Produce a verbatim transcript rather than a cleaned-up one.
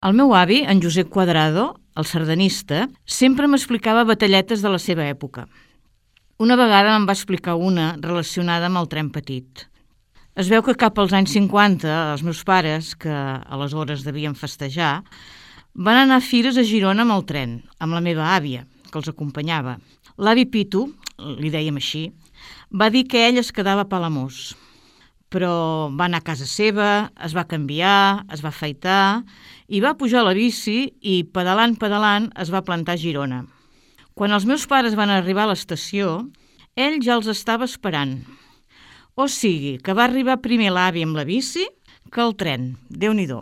El meu avi, en Josep Cuadrado, el sardanista, sempre m'explicava batalletes de la seva època. Una vegada me'n va explicar una relacionada amb el tren petit. Es veu que cap als anys cinquanta, els meus pares, que aleshores devien festejar, van anar a fires a Girona amb el tren, amb la meva àvia, que els acompanyava. L'avi Pitu, li dèiem així, va dir que ell es quedava a Palamós, però va anar a casa seva, es va canviar, es va afaitar i va pujar a la bici i, pedalant, pedalant, es va plantar a Girona. Quan els meus pares van arribar a l'estació, ell ja els estava esperant. O sigui, que va arribar primer l'avi amb la bici que el tren. Déu-n'hi-do.